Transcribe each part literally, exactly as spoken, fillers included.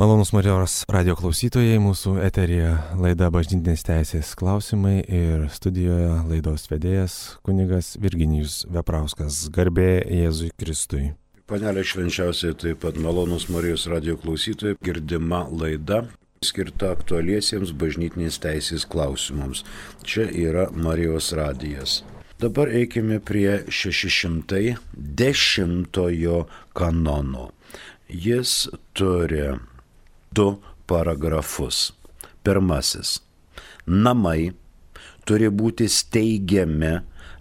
Malonus Marijos radio klausytojai, mūsų eteryje laida Bažnytinės teisės klausimai ir studijoje laidos vedėjas kunigas Virginijus Veprauskas. Garbė Jėzui Kristui. Panelė švenčiausiai, taip pat malonus Marijos radio klausytojai, girdima laida skirta aktualiesiems bažnytinės teisės klausimams. Čia yra Marijos radijas. Dabar eikime prie šeši šimtai dešimtojo kanono. Jis turi du paragrafus. Pirmasis. Namai turi būti steigiami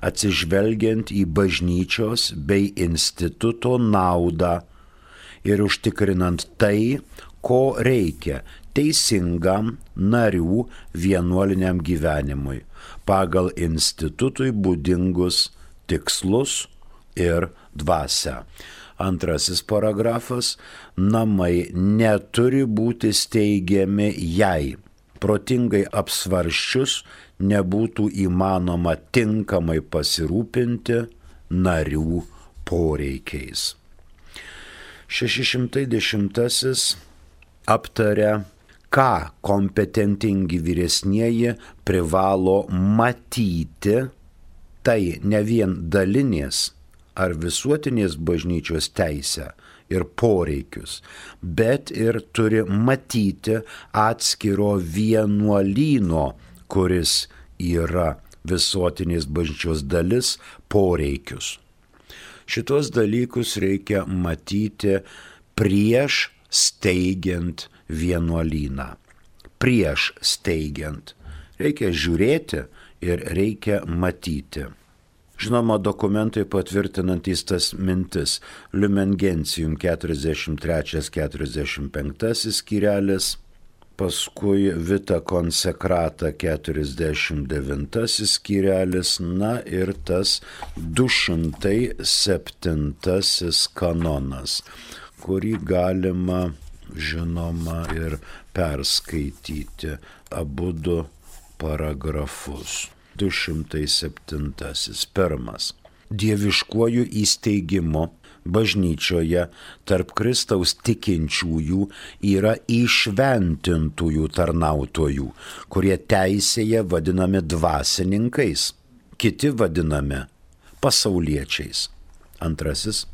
atsižvelgiant į bažnyčios bei instituto naudą ir užtikrinant tai, ko reikia teisingam narių vienuoliniam gyvenimui pagal institutui būdingus tikslus ir dvasią. Antrasis paragrafas. Namai neturi būti steigiami, jei protingai apsvarsčius nebūtų įmanoma tinkamai pasirūpinti narių poreikiais. šeši šimtai dešimtasis aptaria, ką kompetentingi vyresnieji privalo matyti, tai ne vien dalinės ar visuotinės bažnyčios teisę ir poreikius, bet ir turi matyti atskiro vienuolyno, kuris yra visuotinės bažnyčios dalis, poreikius. Šitos dalykus reikia matyti prieš steigiant vienuolyną. Prieš steigiant. Reikia žiūrėti ir reikia matyti. Žinoma, dokumentai patvirtinantys tas mintis. Lumen Gentium keturiasdešimt trečias keturiasdešimt penktasis skyrelis, paskui Vita Consecrata keturiasdešimt devintasis skyrelis, na ir tas du šimtai septintasis kanonas, kurį galima, žinoma, ir perskaityti abudu paragrafus. du šimtai septintasis. Pirmas. Dieviškuoju įsteigimu bažnyčioje tarp Kristaus tikinčiųjų yra įšventintųjų tarnautojų, kurie teisėje vadinami dvasininkais, kiti vadinami pasauliečiais. Antrasis.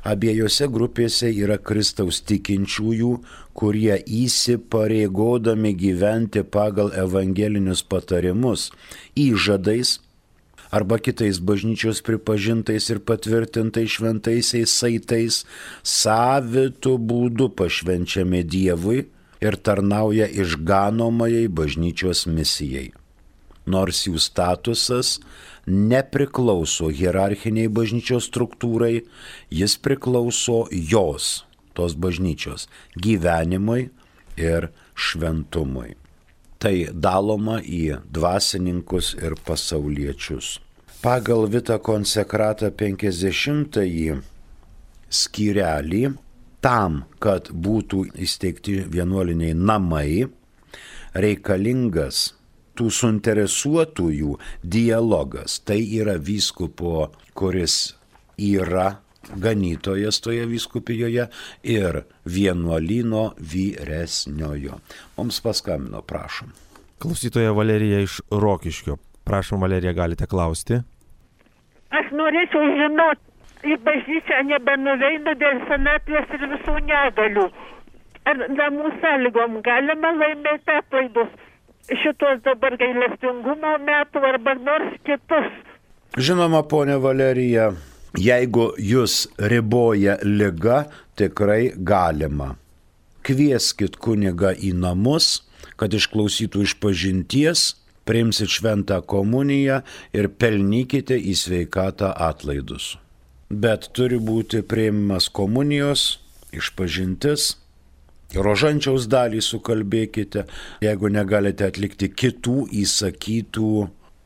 Abiejose grupėse yra Kristaus tikinčiųjų, kurie įsipareigodami gyventi pagal evangelinius patarimus, įžadais arba kitais bažnyčios pripažintais ir patvirtintais šventaisiais saitais savitu būdu pašvenčiami Dievui ir tarnauja išganomajai bažnyčios misijai. Nors jų statusas nepriklauso hierarchiniai bažnyčios struktūrai, jis priklauso jos, tos bažnyčios, gyvenimui ir šventumui. Tai daloma į dvasininkus ir pasauliečius. Pagal Vita Consecrata penkiasdešimtąjį skyrelį, tam, kad būtų įsteigti vienuoliniai namai, reikalingas tų suinteresuotųjų dialogas. Tai yra vyskupo, kuris yra ganytojas toje vyskupijoje, ir vienuolyno vyresniojo. Mums paskambino, prašom. Klausytoja Valerija iš Rokiškio. Prašom, Valerija, galite klausti. Aš norėčiau žinoti, į bažnyčią nebenuveinu dėl senatvės ir visų negalių. Ar namų sąlygom galima laimėti atlaidus šitos dabar gailestingumo metų arba nors kitus? Žinoma, ponė Valerija, jeigu jūs riboja liga, tikrai galima. Kvieskit kunigą į namus, kad išklausytų išpažinties, priimsit šventą komuniją ir pelnykite į sveikatą atlaidus. Bet turi būti priimimas komunijos, išpažintis, rožančiaus dalį sukalbėkite, jeigu negalite atlikti kitų įsakytų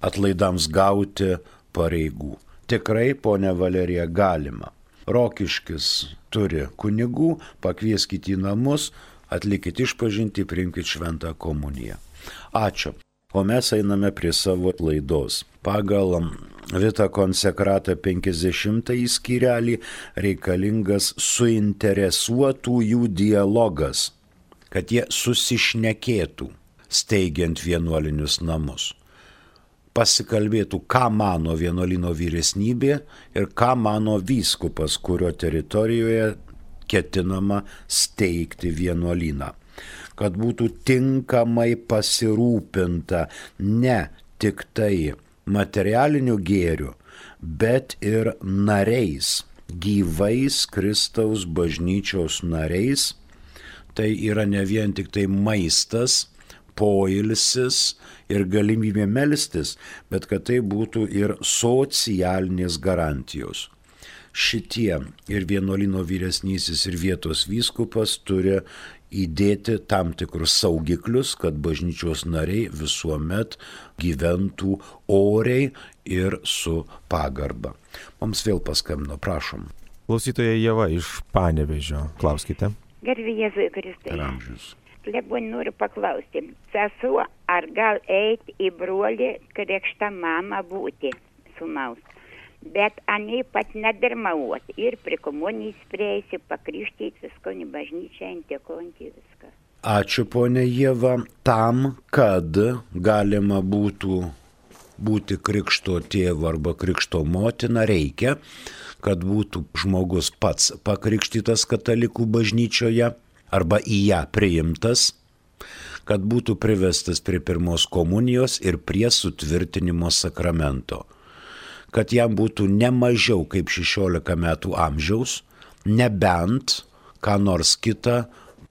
atlaidams gauti pareigų. Tikrai, ponia Valerija, galima. Rokiškis turi kunigų, pakvieskite į namus, atlikite išpažintį, priimkite šventą komuniją. Ačiū. O mes einame prie savo laidos. Pagal Vita Consecrata penkiasdešimtąjį skyrelį reikalingas suinteresuotųjų dialogas kad jie susišnekėtų, steigiant vienuolinius namus. Pasikalbėtų, ką mano vienuolino vyresnybė ir ką mano vyskupas, kurio teritorijoje ketinama steigti vienuolyną. Kad būtų tinkamai pasirūpinta ne tik tai materialiniu gėriu, bet ir nariais, gyvais Kristaus bažnyčios nariais. Tai yra ne vien tik tai maistas, poilsis ir galimybė melstis, bet kad tai būtų ir socialinės garantijos. Šitie ir vienuolino vyresnysis ir vietos vyskupas turi įdėti tam tikrus saugiklius, kad bažnyčios nariai visuomet gyventų oriai ir su pagarba. Mums vėl paskambino, prašom. Klausytoja Ieva iš Panevėžio, klauskite. Garbė Jėzui Kristui. Per amžius. Klebon noriu paklausti, sesuo, ar gal eiti į brolį krikštą mamą būti sūnaus, bet aniai pat nedarmauoti ir prie komunijos prieisi, pakrikštyti visko, į bažnyčią, intekonti viską. Ačiū, ponė Ieva. Tam, kad galima būtų būti krikšto tėvu arba krikšto motina, reikia, kad būtų žmogus pats pakrikštytas katalikų bažnyčioje, arba į ją priimtas, kad būtų privestas prie pirmos komunijos ir prie sutvirtinimo sakramento, kad jam būtų ne mažiau kaip šešiolika metų amžiaus, nebent ką nors kitą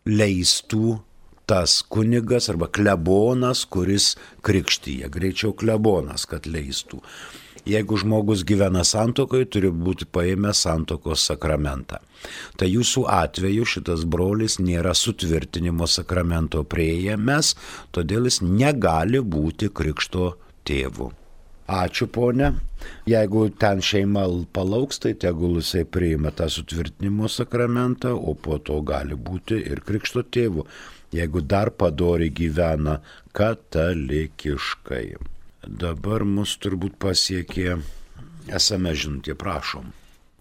leistų tas kunigas arba klebonas, kuris krikštyja, greičiau klebonas, kad leistų. Jeigu žmogus gyvena santuokoje, turi būti paėmęs santuokos sakramentą. Tai jūsų atveju šitas brolis nėra sutvirtinimo sakramento priėjęs, todėl jis negali būti krikšto tėvu. Ačiū, ponė. Jeigu ten šeima palauks, tai tegul jisai priima tą sutvirtinimo sakramentą, o po to gali būti ir krikšto tėvu, jeigu dar padoriai gyvena katalikiškai. Dabar mus turbūt pasiekė es em es žinutė, prašom.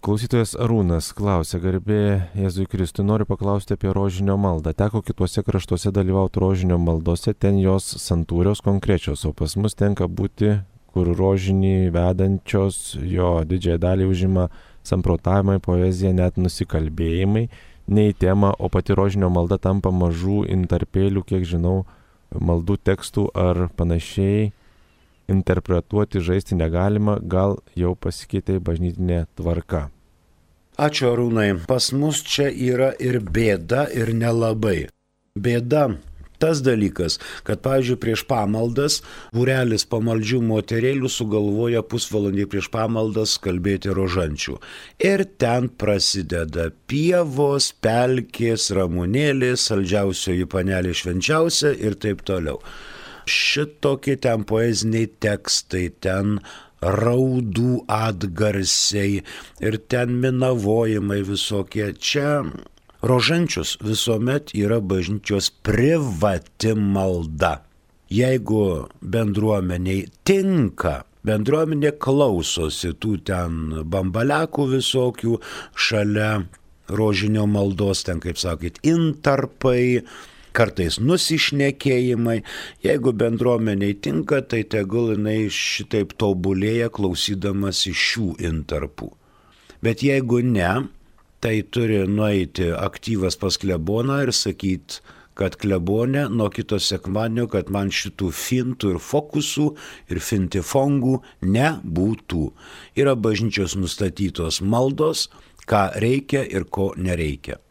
Klausytojas Arūnas klausia, garbė Jėzui Kristui, noriu paklausti apie rožinio maldą. Teko kituose kraštuose dalyvauti rožinio maldose, ten jos santūrios konkrečios, o pas mus tenka būti, kur rožinį vedančios jo didžiąją dalį užima samprotavimai, poezija, net nusikalbėjimai, ne į temą, o pati rožinio malda tampa mažų intarpėlių, kiek žinau, maldų tekstų ar panašiai. Interpretuoti, žaisti negalima, gal jau pasikeitė bažnytinė tvarka. Ačiū, Arūnai. Pas mus čia yra ir bėda, ir nelabai. Bėda tas dalykas, kad, pavyzdžiui, prieš pamaldas būrelis pamaldžių moterėlių sugalvoja pusvalandį prieš pamaldas kalbėti rožančių. Ir ten prasideda pievos, pelkės, ramunėlės, saldžiausioji panelė švenčiausia ir taip toliau. Šitokie ten poeziniai tekstai, ten raudų atgarsiai ir ten minavojimai visokie. Čia rožančius visuomet yra bažnyčios privati malda. Jeigu bendruomeniai tinka, bendruomenė klausosi tų ten bambalekų visokių šalia rožinio maldos, ten, kaip sakyt, intarpai, kartais nusišnekėjimai. Jeigu bendruomeniai tinka, tai tegul jinai šitaip tobulėja klausydamas iš šių intarpų. Bet jeigu ne, tai turi nueiti aktyvas pas kleboną ir sakyti, kad klebonė nuo kito sekmadienio, kad man šitų fintų ir fokusų ir fintifongų nebūtų. Yra bažnyčios nustatytos maldos, ką reikia ir ko nereikia.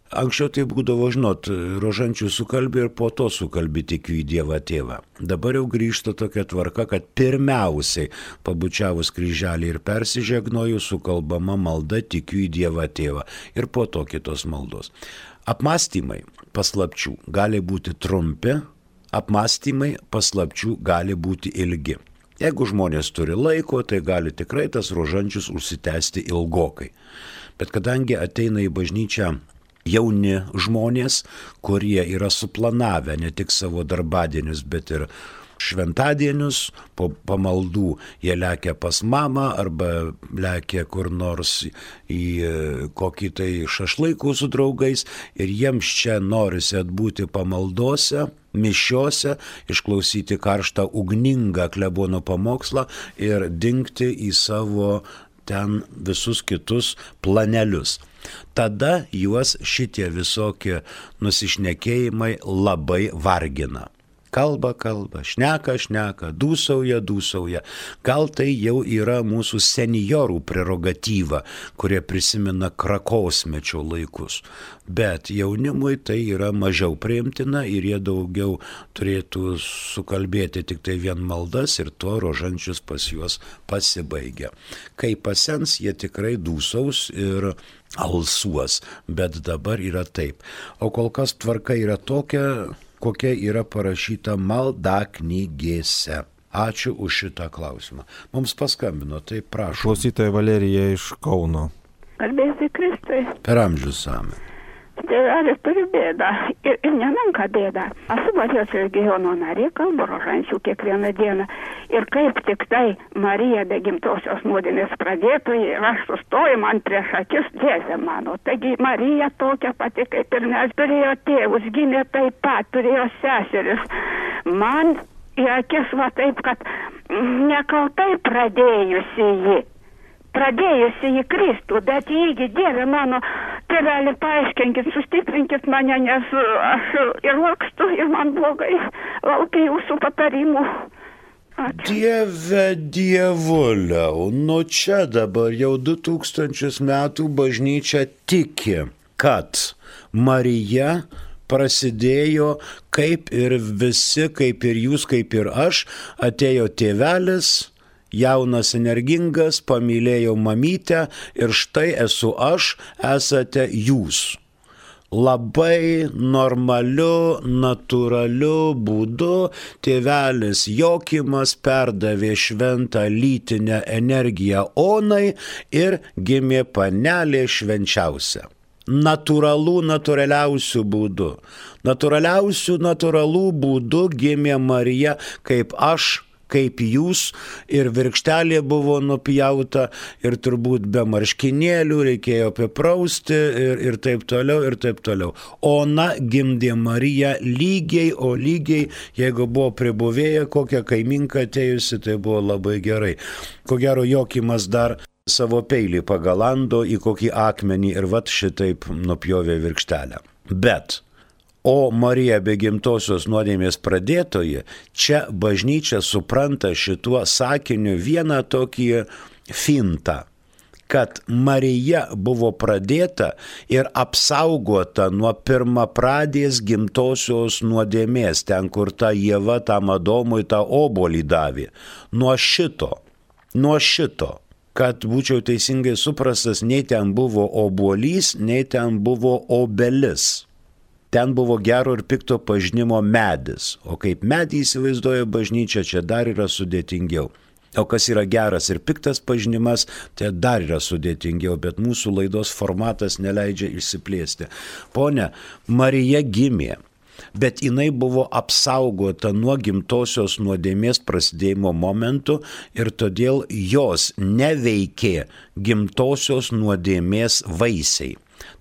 Anksčiau tai būdavo, žinot, rožančių sukalbė ir po to sukalbė tikiu į Dievą tėvą. Dabar jau grįžta tokia tvarka, kad pirmiausiai pabučiavus kryželį ir persižegnoju sukalbama malda tikiu į Dievą tėvą ir po to kitos maldos. Apmąstymai paslapčių gali būti trumpi, apmąstymai paslapčių gali būti ilgi. Jeigu žmonės turi laiko, tai gali tikrai tas rožančius užsitęsti ilgokai. Bet kadangi ateina į bažnyčią jauni žmonės, kurie yra suplanavę ne tik savo darbadienius, bet ir šventadienius, po pamaldų jie lekia pas mamą arba lekia kur nors į kokį tai šašlaikų su draugais ir jiems čia norisi atbūti pamaldose, mišiose, išklausyti karštą ugningą klebono pamokslą ir dingti į savo ten visus kitus planelius. Tada juos šitie visokie nusišnekėjimai labai vargina. Kalba, kalba, šneka, šneka, dūsauja, dūsauja. Gal tai jau yra mūsų seniorų prerogatyva, kurie prisimena krakosmečio laikus. Bet jaunimui tai yra mažiau priimtina ir jie daugiau turėtų sukalbėti tik tai vien maldas ir tuo rožančius pas juos pasibaigia. Kai pasens, jie tikrai dūsaus ir alsuos, bet dabar yra taip. O kol kas tvarka yra tokia, kokia yra parašyta maldaknygėse. Ačiū už šitą klausimą. Mums paskambino, tai prašau. Klausytoja Valerija iš Kauno. Kalbėsi Kristui. Per amžius same. Tėvelis turi bėdą ir, ir nemenka bėdą. Esu Baltijos regiono narė, kalbu rožančių kiekvieną dieną. Ir kaip tik tai Marija be gimtosios nuodėmės pradėtojai ir aš sustoju man prieš akis Jėzė mano. Taigi Marija tokia pati kaip ir mes, turėjo tėvus, gimė taip pat, turėjo seseris. Man į akis va taip, kad nekaltai pradėjusi ji. Pradėjusi į Kristų, bet įgi Dieve mano, tėvelį paaiškinkit, sustiprinkit mane, nes aš ir lakstu, ir man blogai, laukiu jūsų patarimų. Ačiū. Dieve dievuliau, nu čia dabar jau du tūkstančius metų bažnyčia tiki, kad Marija prasidėjo kaip ir visi, kaip ir jūs, kaip ir aš, atėjo tėvelis, jaunas, energingas, pamylėjau mamytę ir štai esu aš, esate jūs. Labai normaliu, natūraliu būdu tėvelis Jokimas perdavė šventą lytinę energiją Onai ir gimė panelė švenčiausia. Natūralų, natūraliausių būdų. Natūraliausių, natūralų būdų gimė Marija kaip aš, kaip jūs, ir virkštelė buvo nupjauta, ir turbūt be marškinėlių reikėjo apiprausti, ir, ir taip toliau, ir taip toliau. Ona gimdė Mariją lygiai, o lygiai, jeigu buvo pribuvėja, kokia kaiminka atėjusi, tai buvo labai gerai. Ko gero, Jokimas dar savo peilį pagalando į kokį akmenį ir vat šitaip nupjovė virkštelę. Bet o Marija be gimtosios nuodėmės pradėtoji, čia bažnyčia supranta šituo sakiniu vieną tokį fintą, kad Marija buvo pradėta ir apsaugota nuo pirmapradės gimtosios nuodėmės, ten kur ta Ieva tam Adomui tą obuolį davė. Nuo šito, nuo šito, kad būčiau teisingai suprastas, nei ten buvo obuolys, nei ten buvo obelis. Ten buvo gero ir pikto pažinimo medis, o kaip medį įsivaizduoja bažnyčia, čia dar yra sudėtingiau. O kas yra geras ir piktas pažinimas, tai dar yra sudėtingiau, bet mūsų laidos formatas neleidžia išsiplėsti. Pone, Marija gimė, bet jinai buvo apsaugota nuo gimtosios nuodėmės prasidėjimo momentų ir todėl jos neveikė gimtosios nuodėmės vaisiai.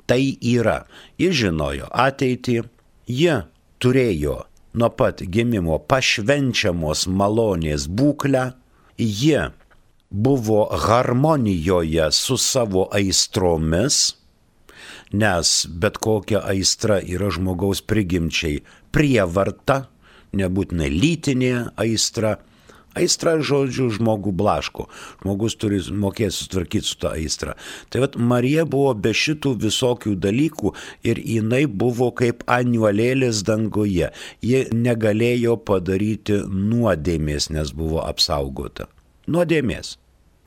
Tai yra, ji žinojo ateitį, ji turėjo nuo pat gimimo pašvenčiamos malonės būklę, ji buvo harmonijoje su savo aistromis, nes bet kokia aistra yra žmogaus prigimčiai prievarta, nebūtinai lytinė aistra. Aistra, žodžiu, žmogų blaško. Žmogus turi mokėti sutvarkyti su tą aistrą. Tai vat Marija buvo be šitų visokių dalykų ir jinai buvo kaip aniuolėlis danguje. Ji negalėjo padaryti nuodėmės, nes buvo apsaugota. Nuodėmės.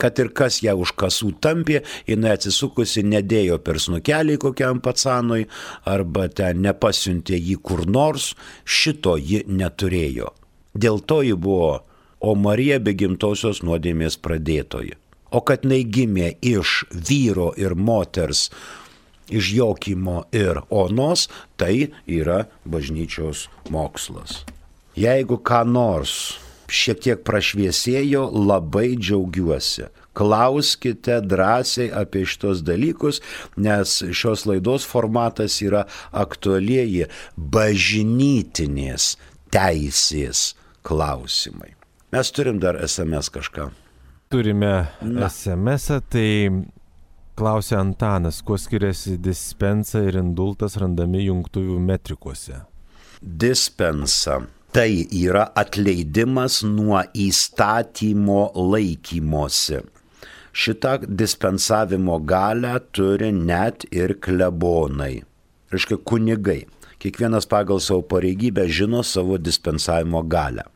Kad ir kas ją už kasų tampė, jinai atsisukusi nedėjo per snukelį kokiam pacanui arba ten nepasiuntė jį kur nors, šito ji neturėjo. Dėl to ji buvo o Marija be gimtosios nuodėmės pradėtoji. O kad jinai gimė iš vyro ir moters, iš Jokimo ir Onos, tai yra bažnyčios mokslas. Jeigu ką nors šiek tiek prašviesėjo, labai džiaugiuosi. Klauskite drąsiai apie šitos dalykus, nes šios laidos formatas yra aktualieji bažnytinės teisės klausimai. Mes turim dar es em es kažką. Turime Na. es em esą, tai klausia Antanas, kuo skiriasi dispensa ir indultas randami jungtuvių metrikuose? Dispensa. Tai yra atleidimas nuo įstatymo laikymosi. Šitą dispensavimo galią turi net ir klebonai, reiškia kunigai. Kiekvienas pagal savo pareigybę žino savo dispensavimo galią.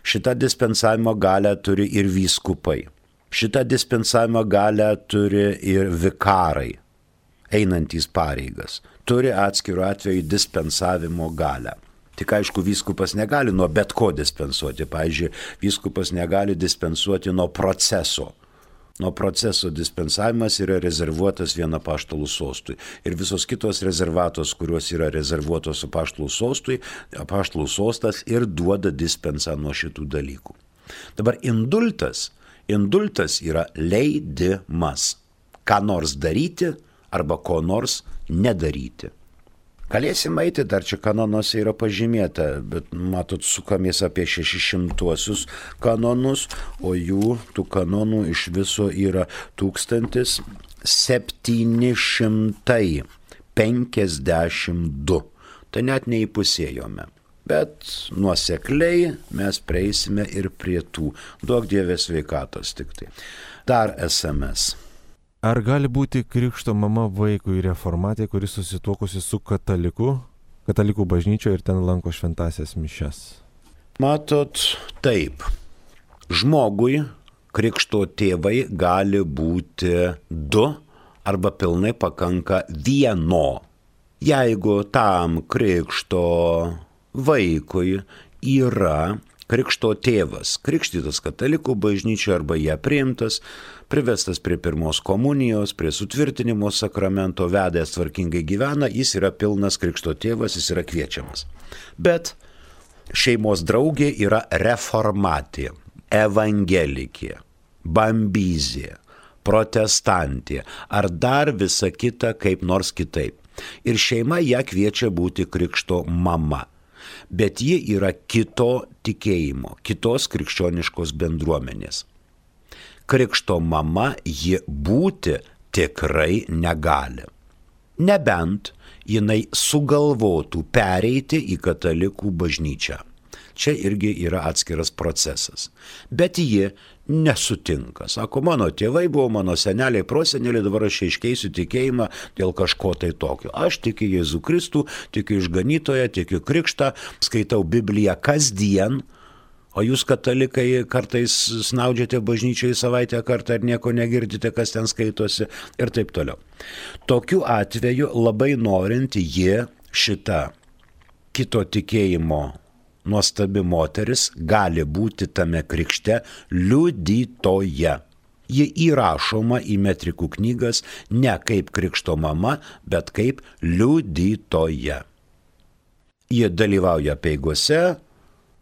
Šitą dispensavimo galią turi ir vyskupai. Šitą dispensavimo galią turi ir vikarai, einantys pareigas. Turi atskiru atveju dispensavimo galią. Tik aišku, vyskupas negali nuo bet ko dispensuoti. Pavyzdžiui, vyskupas negali dispensuoti nuo proceso. Nuo proceso dispensavimas yra rezervuotas vien apaštalų sostui. Ir visos kitos rezervatos, kurios yra rezervuotos apaštalų sostui, apaštalų sostas ir duoda dispensą nuo šitų dalykų. Dabar indultas. Indultas yra leidimas. Ką nors daryti arba ko nors nedaryti. Galėsim eiti, dar čia kanonuose yra pažymėta, bet matot, sukamės apie šešišimtuosius kanonus, o jų tų kanonų iš viso yra tūkstantis septyni šimtai penkiasdešimt du. Tai net neįpusėjome. Bet nuosekliai mes prieisime ir prie tų. Duok Dievės sveikatos tik tai. Dar es em es. Ar gali būti krikšto mama vaikui reformatė, kuris susituokusi su kataliku, katalikų bažnyčioje ir ten lanko šventasias mišias? Matot, taip. Žmogui krikšto tėvai gali būti du arba pilnai pakanka vieno. Jeigu tam krikšto vaikui yra krikšto tėvas, krikštytas katalikų bažnyčioje arba ją priimtas, privestas prie pirmos komunijos, prie sutvirtinimo sakramento, vedęs tvarkingai gyvena, jis yra pilnas krikšto tėvas, jis yra kviečiamas. Bet šeimos draugė yra reformatė, evangelikė, bambizė, protestantė ar dar visa kita kaip nors kitaip. Ir šeima ją kviečia būti krikšto mama. Bet ji yra kito tikėjimo, kitos krikščioniškos bendruomenės. Krikšto mama ji būti tikrai negali. Nebent jinai sugalvotų pereiti į katalikų bažnyčią. Čia irgi yra atskiras procesas. Bet ji nesutinka. Sako, mano tėvai buvo, mano seneliai, proseneliai, dabar aš iškeisiu tikėjimą dėl kažko tai tokio. Aš tikiu Jėzų Kristų, tikiu išganytoją, tikiu krikštą, skaitau Bibliją kasdien, o jūs katalikai kartais snaudžiate bažnyčioje savaitę kartą ir nieko negirdite, kas ten skaitosi ir taip toliau. Tokiu atveju labai norint ji šitą kito tikėjimo nuostabi moteris gali būti tame krikšte liudytoja. Ji įrašoma į metrikų knygas ne kaip krikšto mama, bet kaip liudytoja. Ji dalyvauja peigose,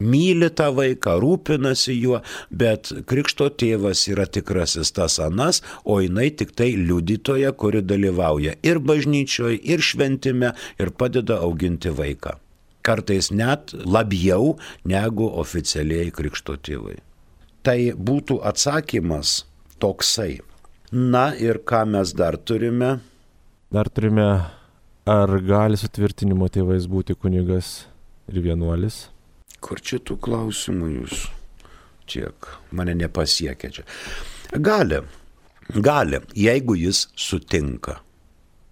myli tą vaiką, rūpinasi juo, bet krikšto tėvas yra tikrasis tas anas, o jinai tik tai liudytoja, kuri dalyvauja ir bažnyčioje, ir šventime, ir padeda auginti vaiką. Kartais net labiau negu oficialiai krikšto tėvai. Tai būtų atsakymas toksai. Na ir ką mes dar turime? Dar turime, ar gali sutvirtinimo tėvais būti kunigas ir vienuolis? Kur čia tų klausimų jūs? Tiek mane nepasiekia čia. Gali, gali, jeigu jis sutinka.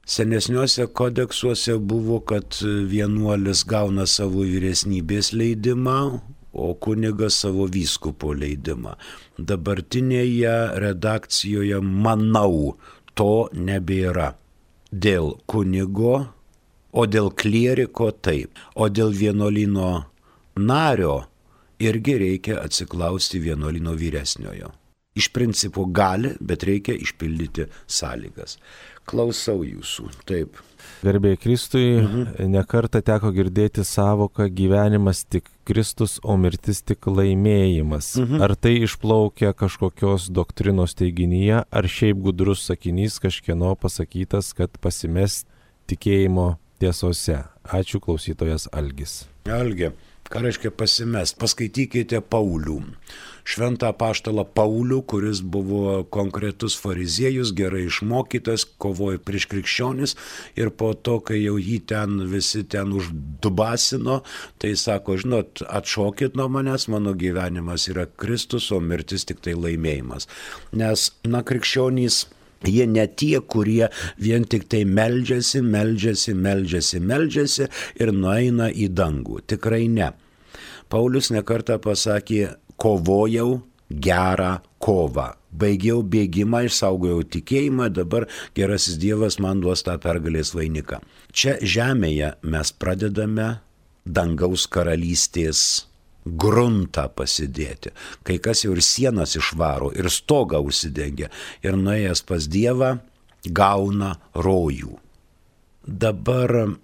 Senesniuose kodeksuose buvo, kad vienuolis gauna savo vyresnybės leidimą, o kunigas savo vyskupo leidimą. Dabartinėje redakcijoje, manau, to nebėra. Dėl kunigo, o dėl klieriko taip, o dėl vienuolyno nario irgi reikia atsiklausti vienuolyno vyresniojo. Iš principo gali, bet reikia išpildyti sąlygas. Klausau jūsų, taip. Garbė Kristui, Mhm. nekartą teko girdėti savoką gyvenimas tik Kristus, o mirtis tik laimėjimas. Mhm. Ar tai išplaukia kažkokios doktrinos teiginyje, ar šiaip gudrus sakinys kažkieno pasakytas, kad pasimest tikėjimo tiesose? Ačiū, klausytojas Algis. Algi, ką reiškia pasimest? Paskaitykite Paulių. Šventą apaštalą Paulių, kuris buvo konkretus fariziejus, gerai išmokytas, kovojo prieš krikščionis ir po to, kai jau jį ten visi ten uždubasino, tai sako, žinot, atšokit nuo manęs, mano gyvenimas yra Kristus, o mirtis tik tai laimėjimas. Nes, na, krikščionys, jie ne tie, kurie vien tik tai meldžiasi, meldžiasi, meldžiasi, meldžiasi ir nueina į dangų. Tikrai ne. Paulius nekartą pasakė, kovojau gerą kovą. Baigiau bėgimą, išsaugojau tikėjimą, dabar gerasis Dievas man duos tą pergalės vainiką. Čia žemėje mes pradedame dangaus karalystės gruntą pasidėti. Kai kas jau ir sienas išvaro, ir stogą užsidengia, ir nuėjęs pas Dievą gauna rojų. Dabar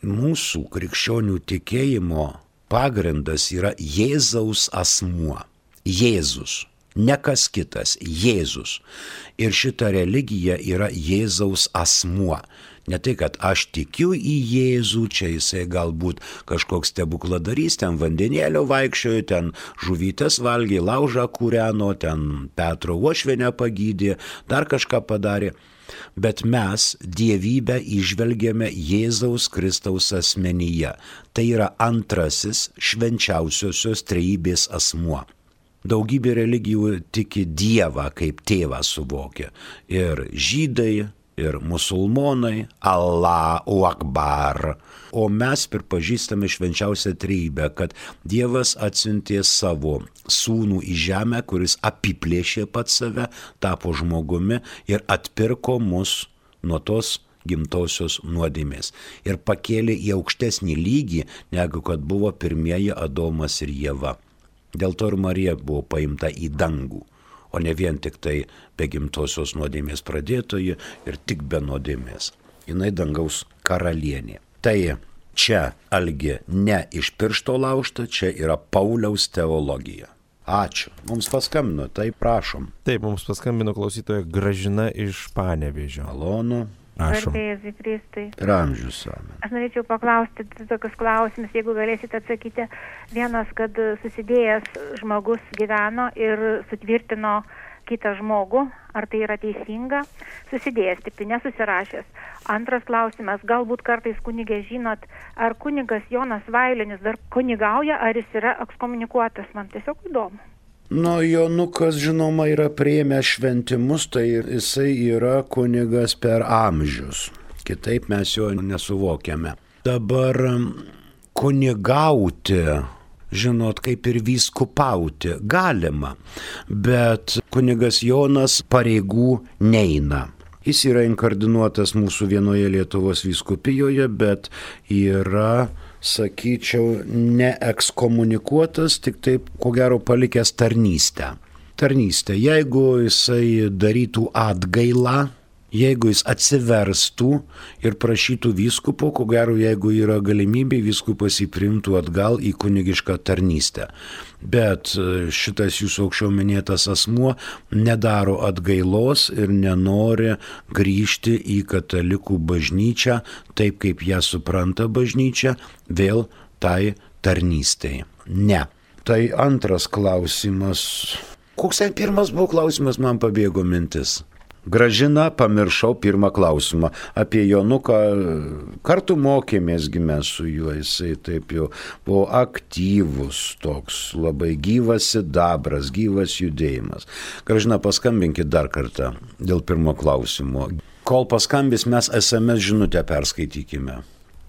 mūsų krikščionių tikėjimo pagrindas yra Jėzaus asmuo. Jėzus. Ne kas kitas. Jėzus. Ir šita religija yra Jėzaus asmuo. Ne tai, kad aš tikiu į Jėzų, čia jisai galbūt kažkoks stebukladarys, ten vandenėlio vaikščiojo, ten žuvytės valgė, laužą kūreno, ten Petro uošvienę pagydė, dar kažką padarė. Bet mes dievybę įžvelgėme Jėzaus Kristaus asmenyje. Tai yra antrasis švenčiausiosios trejybės asmuo. Daugybė religijų tiki Dievą kaip tėvą suvokia. Ir žydai, ir musulmonai, Allahu Akbar. O mes pripažįstame švenčiausią trejybę, kad Dievas atsiuntė savo sūnų į žemę, kuris apiplėšė pats save, tapo žmogumi ir atpirko mus nuo tos gimtosios nuodėmės. Ir pakėlė į aukštesnį lygį, negu kad buvo pirmieji Adomas ir Ieva. Dėl to ir Marija buvo paimta į dangų, o ne vien tik tai be gimtosios nuodėmės pradėtoji ir tik be nuodėmės. Jinai dangaus karalienė. Tai čia, Algi, ne iš piršto laužta, čia yra Pauliaus teologija. Ačiū. Mums paskambino, tai prašom. Taip, mums paskambino klausytoja Gražina iš Panevėžio. Malonu. Prašom. Garbė Jėzui Kristui. Ir amžius amen. Aš norėčiau paklausti tokius klausimus, jeigu galėsite atsakyti. Vienas, kad susidėjęs žmogus gyveno ir sutvirtino kitą žmogų, ar tai yra teisinga? Susidėjęs, tik tai nesusirašęs. Antras klausimas, galbūt kartais kunigė žinot, ar kunigas Jonas Vailinis dar kunigauja, ar jis yra ekskomunikuotas, man tiesiog įdomu. Nu, Jonukas, žinoma, yra priėmęs šventimus, tai jisai yra kunigas per amžius. Kitaip mes jo nesuvokiame. Dabar kunigauti, žinot, kaip ir vyskupauti, galima, bet kunigas Jonas pareigų neina. Jis yra inkardinuotas mūsų vienoje Lietuvos vyskupijoje, bet yra, sakyčiau, neekskomunikuotas, tik taip, ko gero, palikęs tarnystę. Tarnystę, jeigu jisai darytų atgailą, jeigu jis atsiverstų ir prašytų vyskupo, ko gero, jeigu yra galimybė, vyskupas jį priimtų atgal į kunigišką tarnystę. Bet šitas jūsų aukščiau minėtas asmuo nedaro atgailos ir nenori grįžti į katalikų bažnyčią, taip kaip ją supranta bažnyčia, vėl tai tarnystei. Ne. Tai antras klausimas. Koks ten pirmas buvo klausimas, man pabėgo mintis. Gražina, pamiršau pirmą klausimą. Apie Jonuką kartu mokėmės gimę su juo, jisai taip jau buvo aktyvus, toks labai gyvas sidabras, gyvas judėjimas. Gražina, paskambinkit dar kartą dėl pirmo klausimo. Kol paskambis, mes es em es žinutę perskaitykime.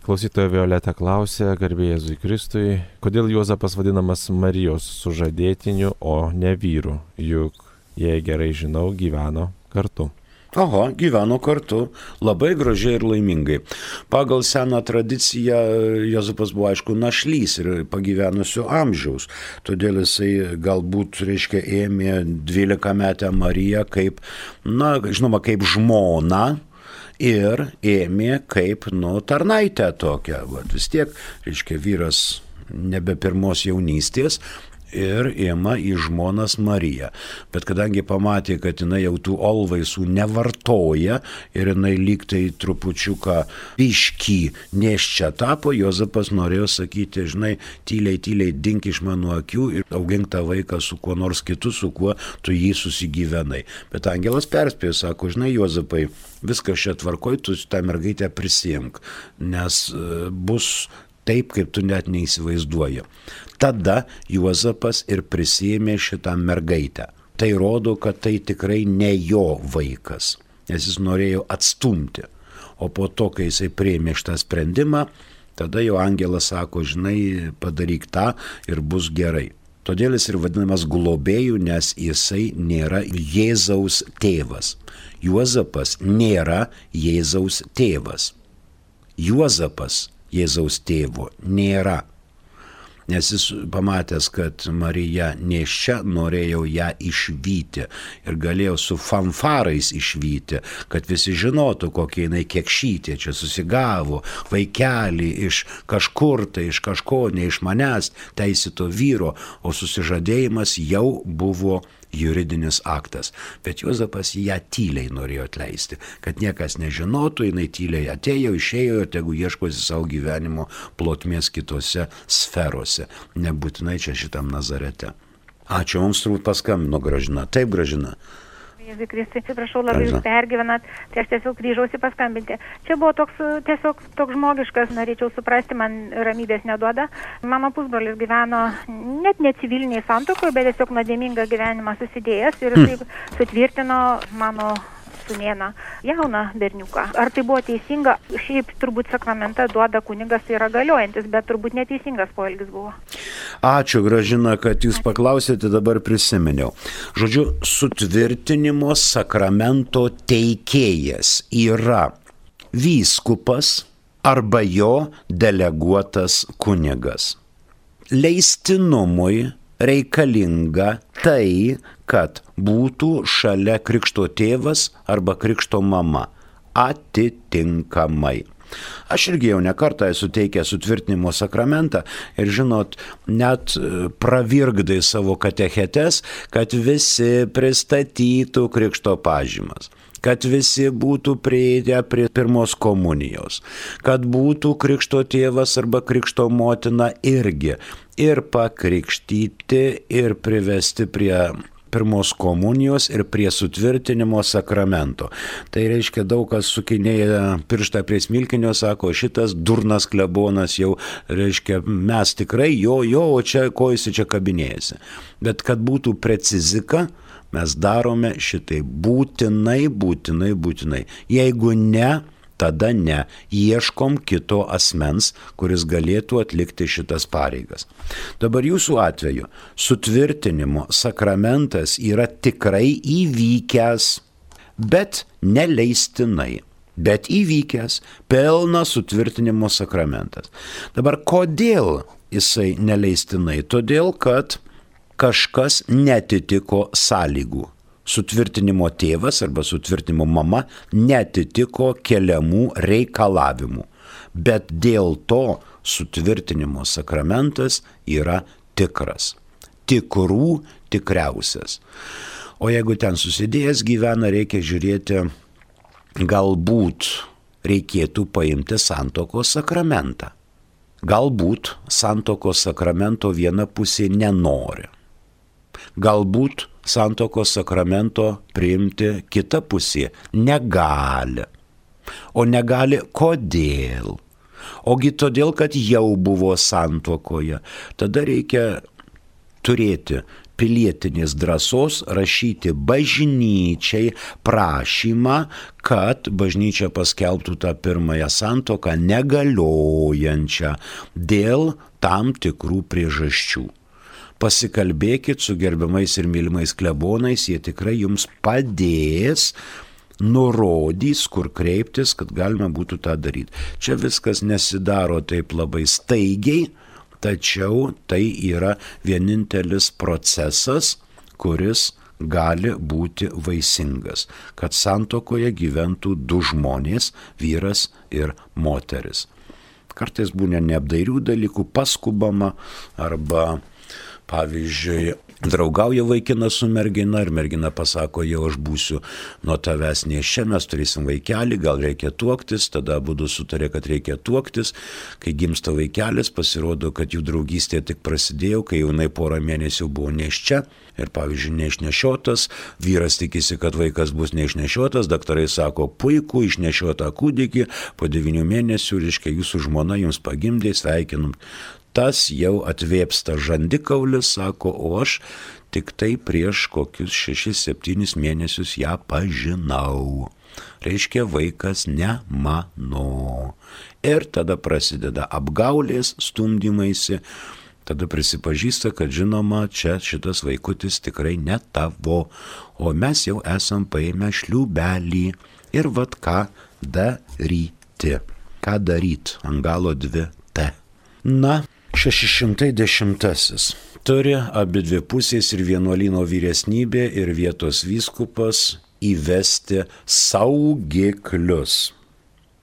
Klausytoja Violeta klausė, garbė Jėzui Kristui, kodėl Juozapas vadinamas Marijos sužadėtiniu, o ne vyru, juk, jei gerai žinau, gyveno kartu. Oho, gyveno kartu, labai gražiai ir laimingai. Pagal seną tradiciją Juozapas buvo, aišku, našlys ir pagyvenusio amžiaus, todėl jisai galbūt, reiškia, ėmė dvylikametę Mariją kaip, na, žinoma, kaip žmoną ir ėmė kaip, nu, tarnaitę tokią. Vat, vis tiek, reiškia, vyras nebe pirmos jaunystės, ir ima į žmonas Mariją. Bet kadangi pamatė, kad jinai jau tų olvaisų nevartoja ir jinai lyg tai trupučiuką biškį neščia tapo, Juozapas norėjo sakyti, žinai, tyliai, tyliai dink iš mano akių ir augink tą vaiką su kuo nors kitu, su kuo tu jį susigyvenai. Bet angelas perspėjo, sako, žinai, Juozapai, viskas čia tvarkoj, tu tą mergaitę prisiimk, nes bus taip, kaip tu net neįsivaizduoji. Tada Juozapas ir prisėmė šitą mergaitę. Tai rodo, kad tai tikrai ne jo vaikas, nes jis norėjo atstumti. O po to, kai jisai priėmė šitą sprendimą, tada jau angelas sako, žinai, padaryk tą ir bus gerai. Todėl jis ir vadinamas globėju, nes jisai nėra Jėzaus tėvas. Juozapas nėra Jėzaus tėvas. Juozapas Jėzaus tėvo nėra. Nes jis pamatęs, kad Marija nėščia, norėjo ją išvyti ir galėjo su fanfarais išvyti, kad visi žinotų, kokia jinai kiekšytė, čia susigavo vaikelį iš kažkur, tai iš kažko, ne iš manęs, teisėto vyro, o susižadėjimas jau buvo juridinis aktas. Bet Juozapas ją tyliai norėjo atleisti, kad niekas nežinotų, jinai tyliai atėjo, išėjo ir tegu ieškosi savo gyvenimo plotmės kitose sferose, nebūtinai čia šitam Nazarete. Ačiū, mums turbūt paskambino Gražina. Taip, Gražina. Jėzui Kristui, atsiprašau, labai jūs pergyvenat, tai aš tiesiog grįžausi paskambinti. Čia buvo toks tiesiog toks žmogiškas, norėčiau suprasti, man ramybės neduoda. Mano pusbrolis gyveno net ne civiliniai santuokoje, bet tiesiog nuodėmingą gyvenimą susidėjęs ir jisai mm. sutvirtino mano sūnėną, jauną berniuką. Ar tai buvo teisinga? Šiaip turbūt sakramentą duoda kunigas, tai yra galiojantis, bet turbūt neteisingas poelgis buvo. Ačiū, Gražina, kad jūs paklausėte, dabar prisiminiau. Žodžiu, sutvirtinimo sakramento teikėjas yra vyskupas arba jo deleguotas kunigas. Leistinumui reikalinga tai, kad būtų šalia krikšto tėvas arba krikšto mama atitinkamai. Aš irgi jau ne kartą esu teikęs sutvirtinimo sakramentą ir žinot, net pravirgdai savo katechetes, kad visi pristatytų krikšto pažymas, kad visi būtų priėję prie pirmos komunijos, kad būtų krikšto tėvas arba krikšto motina irgi ir pakrikštyti ir privesti prie pirmos komunijos ir prie sutvirtinimo sakramento. Tai reiškia, daug kas sukinėja pirštą prie smilkinio, sako, šitas durnas klebonas jau, reiškia, mes tikrai jo, jo, o čia ko jis čia kabinėjasi. Bet kad būtų precizika, mes darome šitai būtinai, būtinai, būtinai. Jeigu ne, tada ne. Ieškom kito asmens, kuris galėtų atlikti šitas pareigas. Dabar jūsų atveju sutvirtinimo sakramentas yra tikrai įvykęs, bet neleistinai. Bet įvykęs, pilnas sutvirtinimo sakramentas. Dabar kodėl jisai neleistinai? Todėl, kad kažkas netitiko sąlygų. Sutvirtinimo tėvas arba sutvirtinimo mama netitiko keliamų reikalavimų. Bet dėl to sutvirtinimo sakramentas yra tikras. Tikrų tikriausias. O jeigu ten susidėjęs gyvena, reikia žiūrėti, galbūt reikėtų paimti santuokos sakramentą. Galbūt santuokos sakramento viena pusė nenori. Galbūt santuokos sakramento priimti kita pusė negali. O negali kodėl? Ogi todėl, kad jau buvo santuokoje. Tada reikia turėti pilietinės drąsos rašyti bažnyčiai prašymą, kad bažnyčia paskelbtų tą pirmąją santuoką negaliojančią dėl tam tikrų priežasčių. Pasikalbėkit su gerbiamais ir mylimais klebonais, jie tikrai jums padės, nurodys, kur kreiptis, kad galima būtų tą daryti. Čia viskas nesidaro taip labai staigiai, tačiau tai yra vienintelis procesas, kuris gali būti vaisingas, kad santuokoje gyventų du žmonės, vyras ir moteris. Kartais būna neapdairių dalykų, paskubama arba, pavyzdžiui, draugauja vaikinas su mergina ir mergina pasako, jau aš būsiu nuo tavęs nėščia, mes turėsim vaikelį, gal reikia tuoktis, tada abudu sutarė, kad reikia tuoktis. Kai gimsta vaikelis, pasirodo, kad jų draugystė tik prasidėjo, kai jaunai porą mėnesių buvo nėščia ir, pavyzdžiui, neišnešiotas, vyras tikisi, kad vaikas bus neišnešiotas, daktarai sako, puiku, išnešiotą kūdikį, po devynių mėnesių, reiškia, jūsų žmona jums pagimdė, sveikinam. Tas jau atvėpsta žandikaulis, sako, o aš tik tai prieš kokius šešis septynis mėnesius ją pažinau. Reiškia, vaikas ne mano. Ir tada prasideda apgaulės, stumdymaisi, tada prisipažįsta, kad žinoma, čia šitas vaikutis tikrai ne tavo, o mes jau esam paėmę šliūbelį. Ir vat ką daryti. Ką daryt? Ant galo dvi T. Na, šeši šimtai dešimtasis. Turi abi dvi pusės ir vienuolyno vyresnybė ir vietos vyskupas įvesti saugiklius.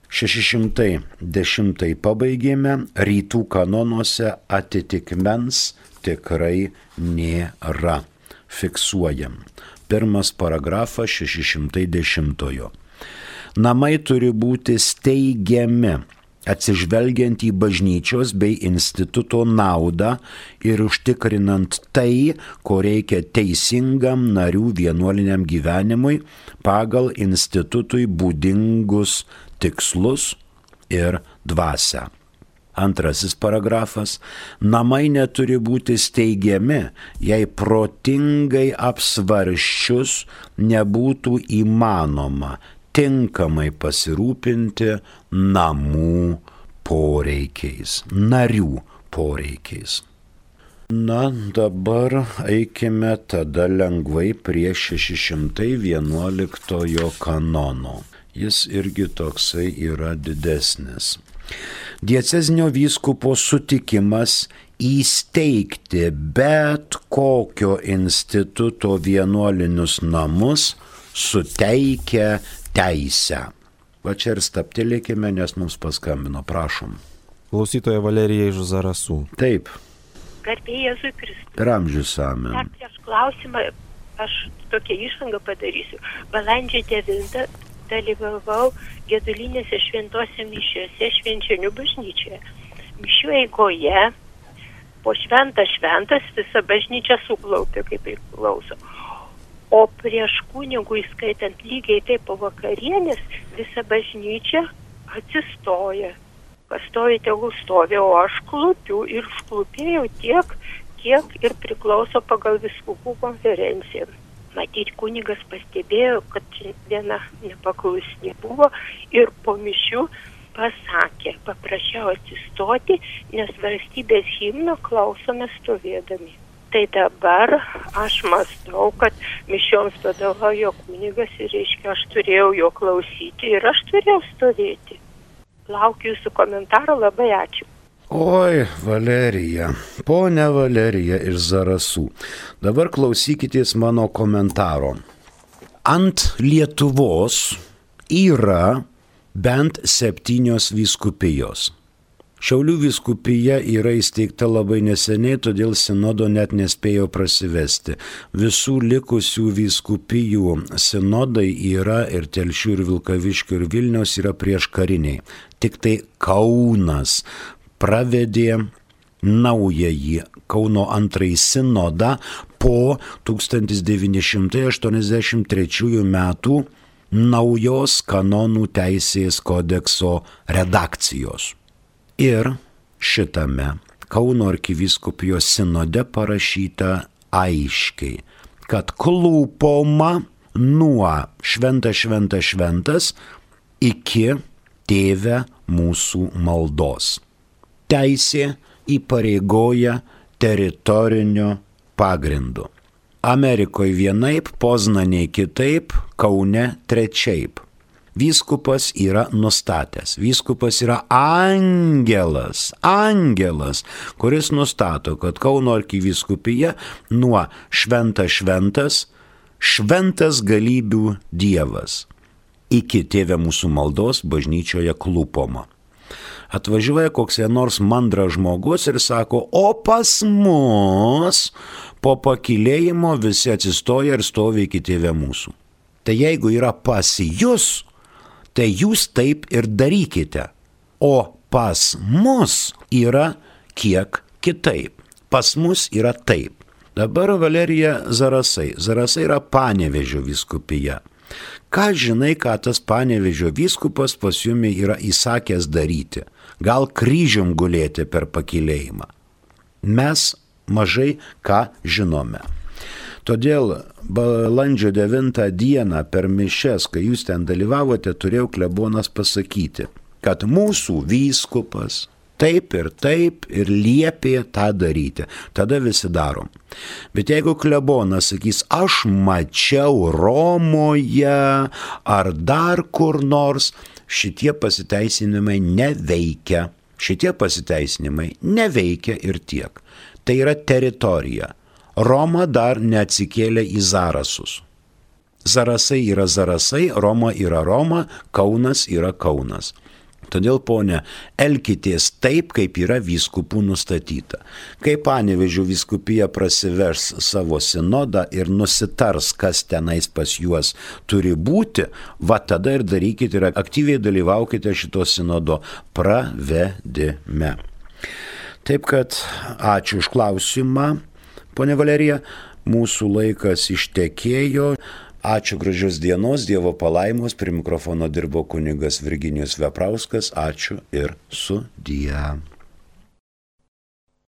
šeši šimtai dešimtai pabaigėme, rytų kanonuose atitikmens tikrai nėra. Fiksuojam. Pirmas paragrafas šeši šimtai dešimtojo. Namai turi būti steigiami, atsižvelgiant į bažnyčios bei instituto naudą ir užtikrinant tai, ko reikia teisingam narių vienuoliniam gyvenimui pagal institutui būdingus tikslus ir dvasią. Antrasis paragrafas. Namai neturi būti steigiami, jei protingai apsvarščius nebūtų įmanoma tinkamai pasirūpinti namų poreikiais, narių poreikiais. Na, dabar eikime tada lengvai prie šeši šimtai vienuoliktojo kanono. Jis irgi toksai yra didesnis. Diecezinio vyskupo sutikimas įsteigti bet kokio instituto vienuolinius namus suteikia teisę. Va čia ir staptelėkime, nes mums paskambino, prašom. Klausytoja Valerija iš Zarasų. Taip. Garbė Jėzui Kristui. Per amžius amen. Dar prieš klausimą aš tokią išvangą padarysiu. Balandžio devintą dalyvavau gedulinėse šventose mišiose Švenčionių bažnyčioje. Mišių eigoje po šventas šventas visa bažnyčia suklaupė, kaip priklauso. O prieš kunigų įskaitant lygiai taip po vakarienės visa bažnyčia atsistoja. Kas stovi, tegul stovi, o aš klupiu ir šklupėjau tiek, kiek ir priklauso pagal vyskupų konferenciją. Matyt, kunigas pastebėjo, kad viena nepaklusni buvo ir po mišių pasakė, paprašiau atsistoti, nes valstybės himno klausome stovėdami. Tai dabar aš mąstau, kad mišioms vadovauja kunigas ir reiškia, aš turėjau jo klausyti ir aš turėjau stovėti. Laukiu jūsų komentaro, labai ačiū. Oi, Valerija, ponia Valerija iš Zarasų. Dabar klausykitės mano komentaro. Ant Lietuvos yra bent septynios vyskupijos. Šiaulių vyskupija yra įsteigta labai neseniai, todėl sinodo net nespėjo prasivesti. Visų likusių vyskupijų sinodai yra ir Telšių, ir Vilkaviškio, ir Vilniaus yra prieškariniai. Tik tai Kaunas pravedė naująjį Kauno antrąjį sinodą po tūkstantis devyni šimtai aštuoniasdešimt trečiųjų metų naujos kanonų teisės kodekso redakcijos. Ir šitame Kauno arkivyskupijos sinode parašyta aiškiai, kad klūpoma nuo šventas šventas šventas iki tėve mūsų maldos. Teisė įpareigoja teritoriniu pagrindu. Amerikoje vienaip, Poznanėje kitaip, Kaune trečiaip. Vyskupas yra nustatęs. Vyskupas yra angelas, angelas, kuris nustato, kad Kauno arkivyskupija nuo šventas šventas šventas galybių Dievas. Iki Tėve mūsų maldos bažnyčioje klūpoma. Atvažiuoja koks nors mandras žmogus ir sako, o pas mus po pakilėjimo visi atsistoja ir stovi iki Tėve mūsų. Tai jeigu yra pas jūs, tai jūs taip ir darykite. O pas mus yra kiek kitaip. Pas mus yra taip. Dabar Valerija Zarasai. Zarasai yra Panevėžio vyskupija. Ką žinai, ką tas Panevėžio vyskupas pas jumi yra įsakęs daryti? Gal kryžium gulėti per pakilėjimą? Mes mažai ką žinome. Todėl balandžio devintą dieną per mišias, kai jūs ten dalyvavote, turėjau klebonas pasakyti, kad mūsų vyskupas taip ir taip ir liepė tą daryti. Tada visi darom. Bet jeigu klebonas sakys, aš mačiau Romoje ar dar kur nors, šitie pasiteisinimai neveikia. Šitie pasiteisinimai neveikia ir tiek. Tai yra teritorija. Roma dar neatsikėlė į Zarasus. Zarasai yra Zarasai, Roma yra Roma, Kaunas yra Kaunas. Todėl, ponė, elkitės taip, kaip yra vyskupų nustatyta. Kai Panevėžio vyskupija prasivers savo sinodą ir nusitars, kas tenais pas juos turi būti, va tada ir darykite ir aktyviai dalyvaukite šito sinodo pravedime. Taip kad ačiū už klausimą, ponė Valerija, mūsų laikas ištekėjo. Ačiū, gražios dienos, Dievo palaimos, prie mikrofono dirbo kunigas Virginijus Veprauskas, ačiū ir sudie.